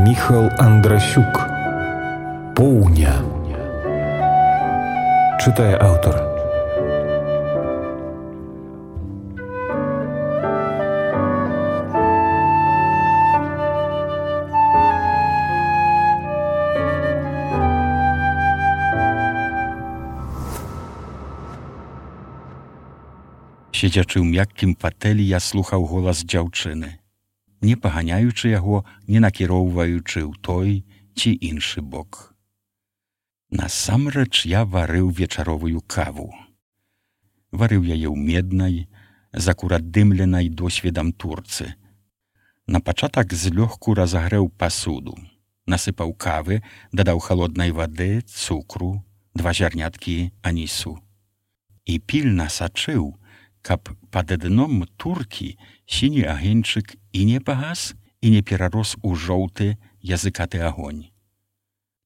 Міхал Андрасюк. Поўня. Чытае аўтар. Сидячы ў мяккім фатэлі, я слухаў голас дзяўчыны, не паганяючы яго, не накіроўваючы ў той ці іншы бок. Насамрэч я варыў вечаровую каву. Варыў яе ў меднай, закурадымленай досведам турцы. На пачатак злёгку разагрэў пасуду, насыпаў кавы, дадаў халоднай вады, цукру, 2 зярняткі анісу. І пільна сачыў, каб пад дном туркі сіні агеньчык і не пагас, і не перарос у жоўты языкаты агонь.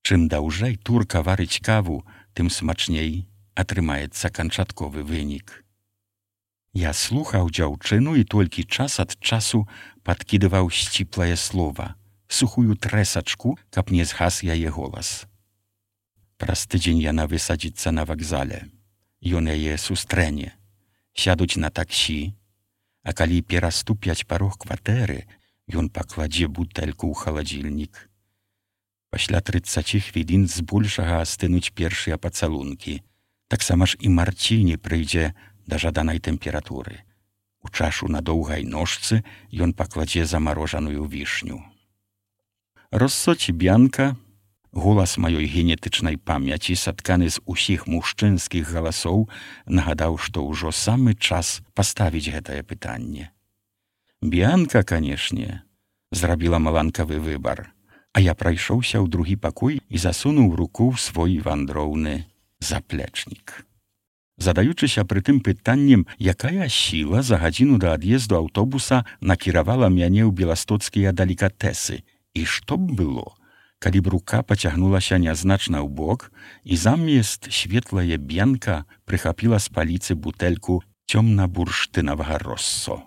Чым даўжэй турка варыць каву, тым смачней атрымаецца канчатковы вынік. Я слухаў дзяўчыну і толькі час ад часу падкідываў сціплае слова, сухую трэсачку, каб не згас яе голас. Праз тыдзень яна высадзіцца на вакзале. Ён яе сустрэне. Сядуць на таксі, а калі пераступяць парог кватэры, ён пакладзе бутэльку ў халадзільнік. Пасля 30 хвілін збольшага астынуць першыя пацалункі. Таксама ж і Марціні прыйдзе да жаданай тэмпературы. У чашу на доўгай ножцы ён пакладзе замарожаную вішню. Россоці Бянка, голас маёй генетычнай памяці, сатканы з усіх мужчынскіх галасоў, нагадаў, што ўжо самы час паставіць гэтае пытанне. Бянка, канешне, зрабіла маланкавы выбар, а я прайшоўся ў другі пакой і засунуў руку ў свой вандроўны заплечнік. Задаючыся прытым пытаннем, якая сіла за гадзіну да ад'езду аўтобуса накіравала мяне ў беластоцкія далікатэсы, і што б было, калі б рука пацягнулася нязначна ў бок, і замест светлая Бянка прыхапіла з паліцы бутэльку цёмна-бурштынавага россо.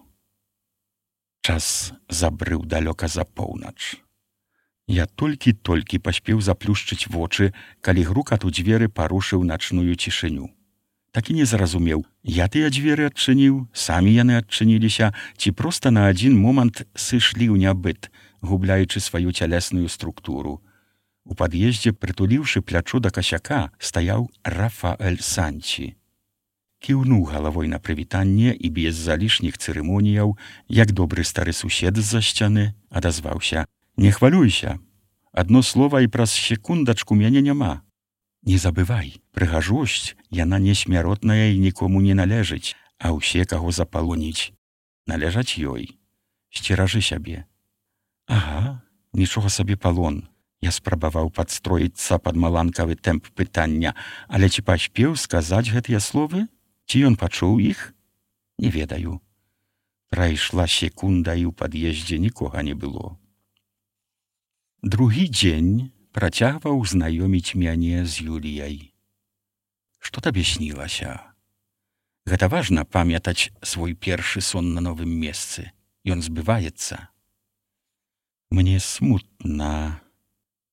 Час забрыў далёка за поўнач. Я толькі паспеў заплюшчыць вочы, калі грукат у дзверы парушыў начную цішыню. Так і не зразумеў, я тыя дзверы адчыніў, самі яны адчыніліся, ці проста на адзін момант сышлі ў нябыт, губляючы сваю цялесную структуру. У пад'ездзе, прытуліўшы плячо да касяка, стаяў Рафаэль Санці. Кіўнуў галавой на прывітанне і без залішніх цырымоніяў, як добры стары сусед з-за сцяны, адазваўся: «Не хвалюйся, адно слова і праз секундачку мяне няма. Не забывай, прыгажосць, яна не смяротная і нікому не належыць, а ўсе, каго запалоніць, належаць ёй. Сцеражы сябе». Ага, нічога сабе палон. Я спрабаваў падстроіцца пад маланкавы тэмп пытання, але ці паспеў сказаць гэтыя словы? Ці ён пачуў іх? Не ведаю. Прайшла секунда, і ў пад'ездзе нікога не было. Другі дзень працягваў знаёміць мяне з Юліяй. Што табе снілася? Гэта важна памятаць свой першы сон на новым месцы. Ён збываецца. Мне смутна.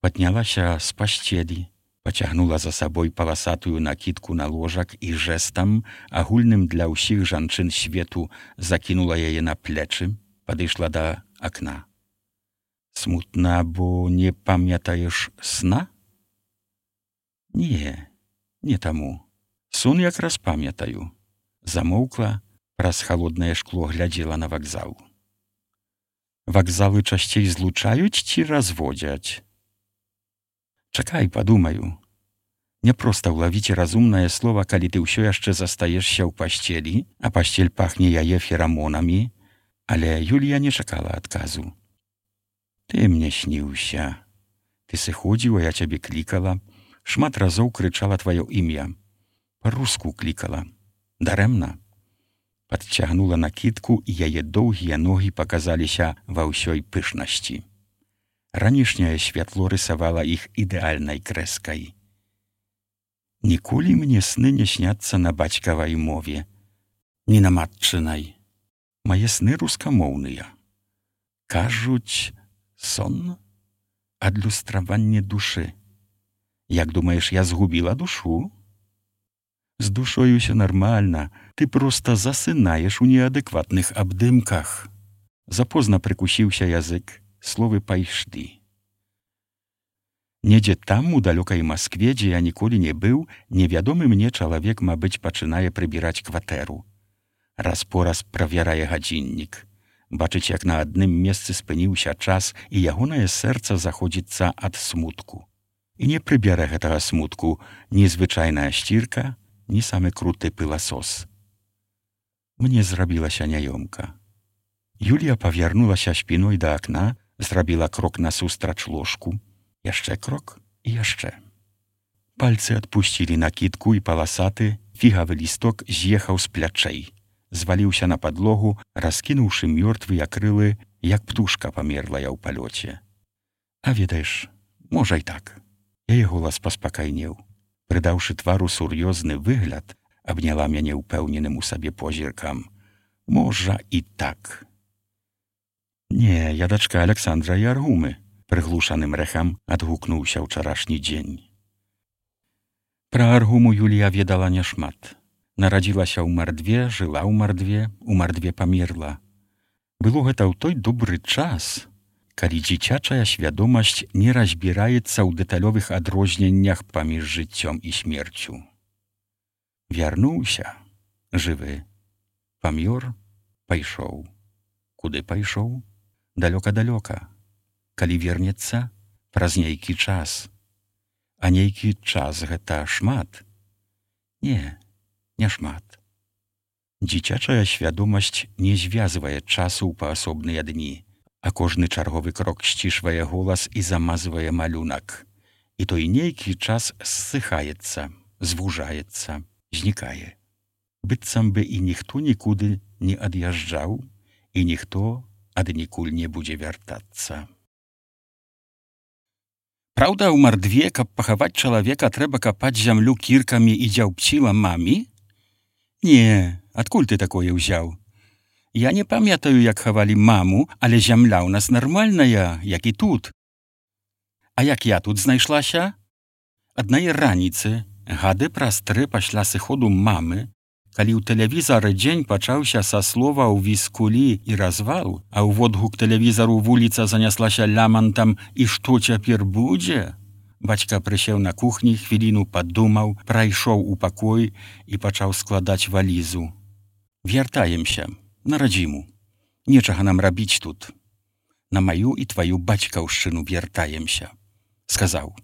Паднялася з пасцелі, пацягнула за сабой паласатую накідку на ложак і жэстам, агульным для ўсіх жанчын свету, закінула яе на плечы, падышла да акна. Смутна, бо не памятаеш сна? Не, не таму. Сон якраз памятаю. Замоўкла, праз халоднае шкло глядзела на вакзал. Вакзалы часцей злучаюць ці разводзяць? Чакай, падумаю. Не проста ўлавіць разумнае слова, калі ты ўсё яшчэ застаешся ў пасцелі, а пасцель пахне яе ферамонамі, але Юлія не чакала адказу. Ты мне сніўся. Ты сыходзіў, а я цябе клікала. Шмат разоў крычала тваё імя. Па-руску клікала. Дарэмна. Падцягнула накідку, і яе доўгія ногі паказаліся ва ўсёй пышнасці. Ранішняе святло рысавала іх ідэальнай крэскай. Ніколі мне сны не сняцца на бацькавай мове, ні на матчынай. Мае сны рускамоўныя. Кажуць, сон? адлюстраванне душы. Як думаеш, я згубіла душу? З душою ўсё нармальна, ты проста засынаеш у неадэкватных абдымках. Запозна прыкусіўся язык, словы пайшлі. Недзе там, у далёкай Маскве, дзе я ніколі не быў, невядомы мне чалавек, мабыць, пачынае прыбіраць кватэру. Раз-пораз правярае гадзіннік. Бачыць, як на адным месцы спыніўся час, і ягонае сэрца заходзіцца ад смутку. І не прыбярэ гэтага смутку ні звычайная сцірка, ні самы круты пыласос. Мне зрабілася няёмка. Юлія павярнулася спіной да акна, зрабіла крок насустрач ложку, яшчэ крок і яшчэ. Пальцы адпусцілі накідку, і паласаты фігавы лісток з'ехаў з плячэй, зваліўся на падлогу, раскінуўшы мёртвыя крылы, як птушка памерлая ў палёце. А ведаеш, можа і так. Яе голас паспакайнеў. Прыдаўшы твару сур'ёзны выгляд, абняла мяне ўпэўненым у сабе позіркам. Можа і так. Не, я дачка Аляксандра і Аргумы, прыглушаным рэхам адгукнуўся ўчарашні дзень. Пра Аргуму Юлія ведала няшмат. Нарадзілася ў Мардве, жыла ў Мардве памерла. Было гэта ў той добры час, калі дзіцячая свядомасць не разбіраецца ў дэталёвых адрозненнях паміж жыццём і смерцю. Вярнуўся, жывы, памёр, пайшоў. Куды пайшоў? Далёка-далёка. Калі вернецца, праз нейкі час. А нейкі час гэта шмат? Не, не шмат. Дзіцячая свядомасць не звязвае часу ў паасобныя дні, а кожны чарговы крок сцішвае голас і замазвае малюнак. І той нейкі час ссыхаецца, звужаецца, знікае. Быццам бы і ніхто нікуды не ад'язджаў, і ніхто аднікуль не будзе вяртацца. Праўда, у Мардве, каб пахаваць чалавека, трэба капаць зямлю кіркамі і дзяўбціла мамі? Не, адкуль ты такое ўзяў? Я не памятаю, як хавалі маму, але зямля ў нас нармальная, як і тут. А як я тут знайшлася? Аднае раніцы, гады праз 3 пасля сыходу мамы, калі ў тэлевізары дзень пачаўся са словаў віскулі і развал, а ў водгук тэлевізару вуліца заняслася лямантам «І што цяпер будзе?», бацька прысеў на кухні, хвіліну падумаў, прайшоў у пакой і пачаў складаць валізу. «Вяртаемся, на радзіму. Нечага нам рабіць тут. На маю і тваю бацькаўшчыну вяртаемся», — сказаў.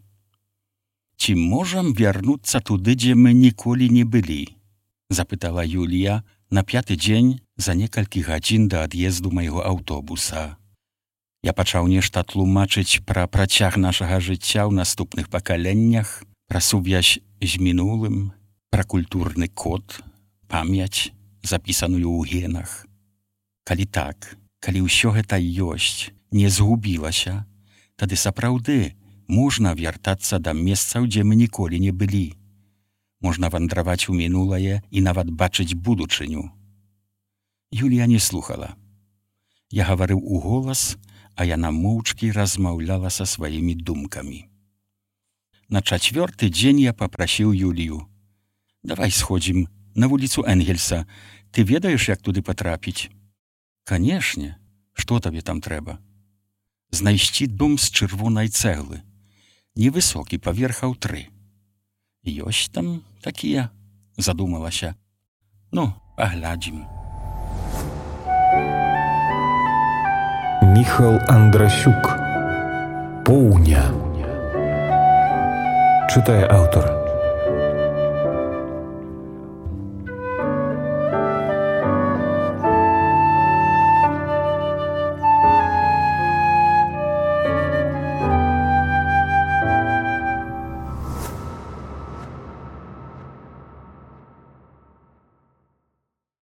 «Ці можам вярнуцца туды, дзе мы ніколі не былі?» — запытала Юлія на 5-й дзень за некалькі гадзін да ад'езду майго аўтобуса. Я пачаў нешта тлумачыць пра працяг нашага жыцця ў наступных пакаленнях, пра сувязь з мінулым, пра культурны код, памяць, запісаную ў генах. Калі так, калі ўсё гэта ёсць, не згубілася, тады сапраўды можна вяртацца да месцаў, дзе мы ніколі не былі. Можна вандраваць у мінулае і нават бачыць будучыню. Юлія не слухала. Я гаварыў у голас, а яна моўчкі размаўляла са сваімі думкамі. На 4-й дзень я папрасіў Юлію. «Давай сходзім на вуліцу Энгельса. Ты ведаеш, як туды патрапіць?» «Канешне. Што табе там трэба?» «Знайсці дом з чырвонай цэглы. Невысокі, паверхаў 3. «Ёсць там такія?» — задумалася. «Ну, паглядзім». Міхал Андрасюк. Поўня. Чытае аўтар.